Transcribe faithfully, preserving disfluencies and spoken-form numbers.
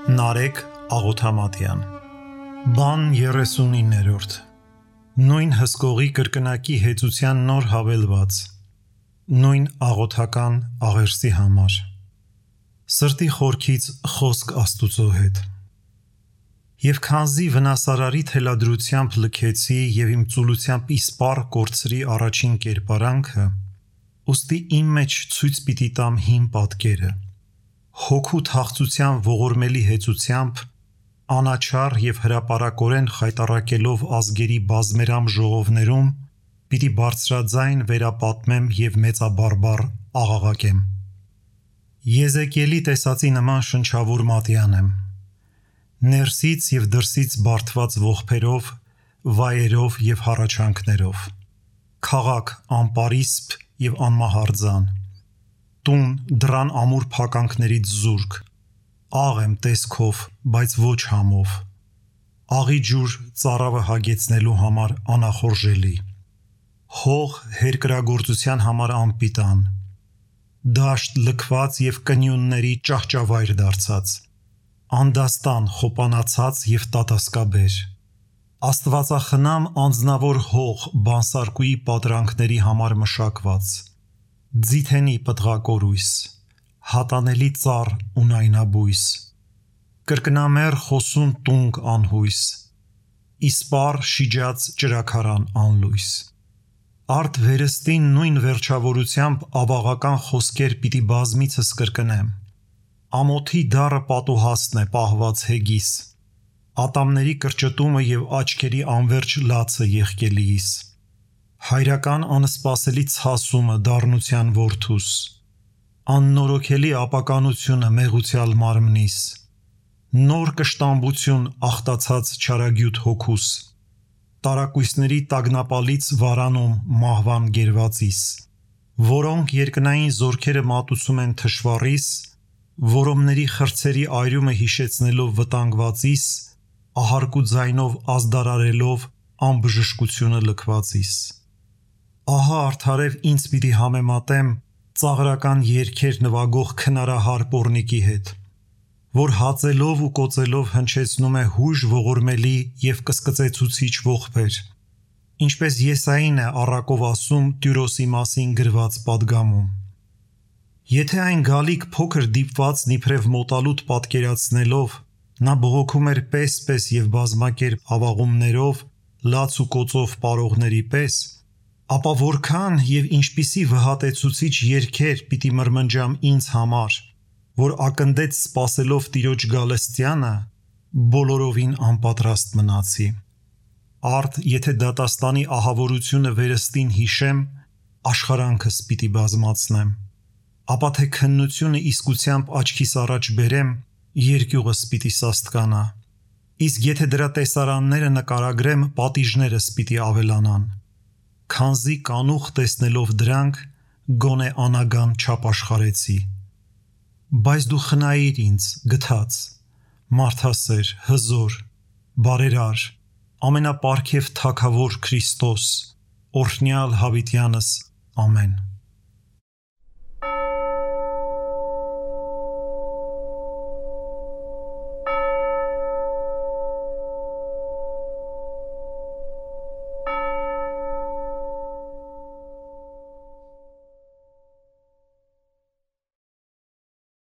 Նարեկ Աղոթամատյան Բան երեսունիններորդ Նույն հսկողի կրկնակի հեծության նոր հավելված Նույն աղոթական աղերսի համար Սրտի խորքից խոսք Աստուծո հետ Եվ քանզի վնասարարի թելադրությամբ լքեցի և իմ ծուլությամբ իսպառ կորցրի առաջին կերպարանքը, ուստի իմ մեջ ցույց պիտի տամ հին պատկերը, հոգու թախծության ողորմելի հեծությամբ, անաչառ և հրապարակորեն խայտառակելով ազգերի բազմերամ ժողովներում, պիտի բարձրաձայն վերապատմեմ և մեծաբարբառ աղաղակեմ։ Եզեկիելի տեսածի նման շնչավոր մատյան եմ, ներսից և դրսից բարդված ողբերով, վայերով և հառաչանքներով, քաղաք անպարիսպ և անմահարձան, տուն դռան ամուր փականքներից զուրկ, աղ եմ տեսքով, բայց ոչ համով, աղի ջուր ծարավը հագեցնելու համար անախորժելի, հող հերկրագործության համար անպիտան, դաշտ լքված և կնյունների ճահճավայր դարձած, անդաստան խոպանացած և տատասկաբեր, աստվածախնամ անձնավոր հող բանսարկուի պատրանքների համար մշակված, ձիթենի պտղակորույս, հատանելի ծառ ունայնաբույս, կրկնամեռ խոսուն տունկ անհույս, իսպառ շիջած ճրագարան անլույս, արդ վերստին նույն վերջավորությամբ ավաղական խոսքեր պիտի բազմիցս կրկնեմ, ամոթի դառը պատուհասն է պահված հեգիս, ատամների կրճտումը և աչքերի անվերջ լացը եղկելիիս, հայրական անսպասելի ցասումը դառնության որդուս, աննորոգելի ապականությունը մեղուցյալ մարմնիս, նոր կշտամբություն աղտացած չարագյուտ հոգուս, տարակույսների տագնապալից վարանում մահվան գերվածիս, որոնք երկնային զորքերը մատուցում են թշվառիս, որոմների խրձերի այրումը հիշեցնելով վտանգվածիս, ահարկու ձայնով ազդարարելով անբժշկությունը լքվածիս։ Ահա արդարև ինձ պիտի համեմատեմ ծաղրական երգեր նվագող քնարահար պոռնիկի հետ, որ հածելով ու կոծելով հնչեցնում է հույժ ողորմելի և կսկծեցուցիչ ողբեր, ինչպես Եսային է առակով ասում Տյուրոսի մասին գրված պատգամում։ Եթե այն գալիք փոքր դիպվածն իբրև մոտալուտ պատկերացնելով, նա բողոքում էր պես-պես և բազմակերպ ավաղումներով, լաց ու կոծով պարողների պես, ապա որքան և ինչպիսի վհատեցուցիչ երգեր պիտի մրմնջամ ինձ համար, որ ակնդեց սպասելով Տիրոջ գալստյանը, բոլորովին անպատրաստ մնացի։ Արդ եթե դատաստանի ահավորությունը վերստին հիշեմ, աշխարանքս պիտի բազմացնեմ, ապա թե քննությունը իսկությամբ աչքիս առաջ բերեմ, երկյուղս պիտի սաստկանա, իսկ եթե դրա տեսարանները նկարագրեմ, պատիժներս պիտի ավելանան, քանզի կանուխ տեսնելով դրանք, գոնե անագան չապաշխարեցի։ Բայց դու խնայիր ինձ, գթած, մարդասեր, հզոր, բարերար, ամենապարգև Թագավոր Քրիստոս, օրհնյալ հավիտյանս, ամեն։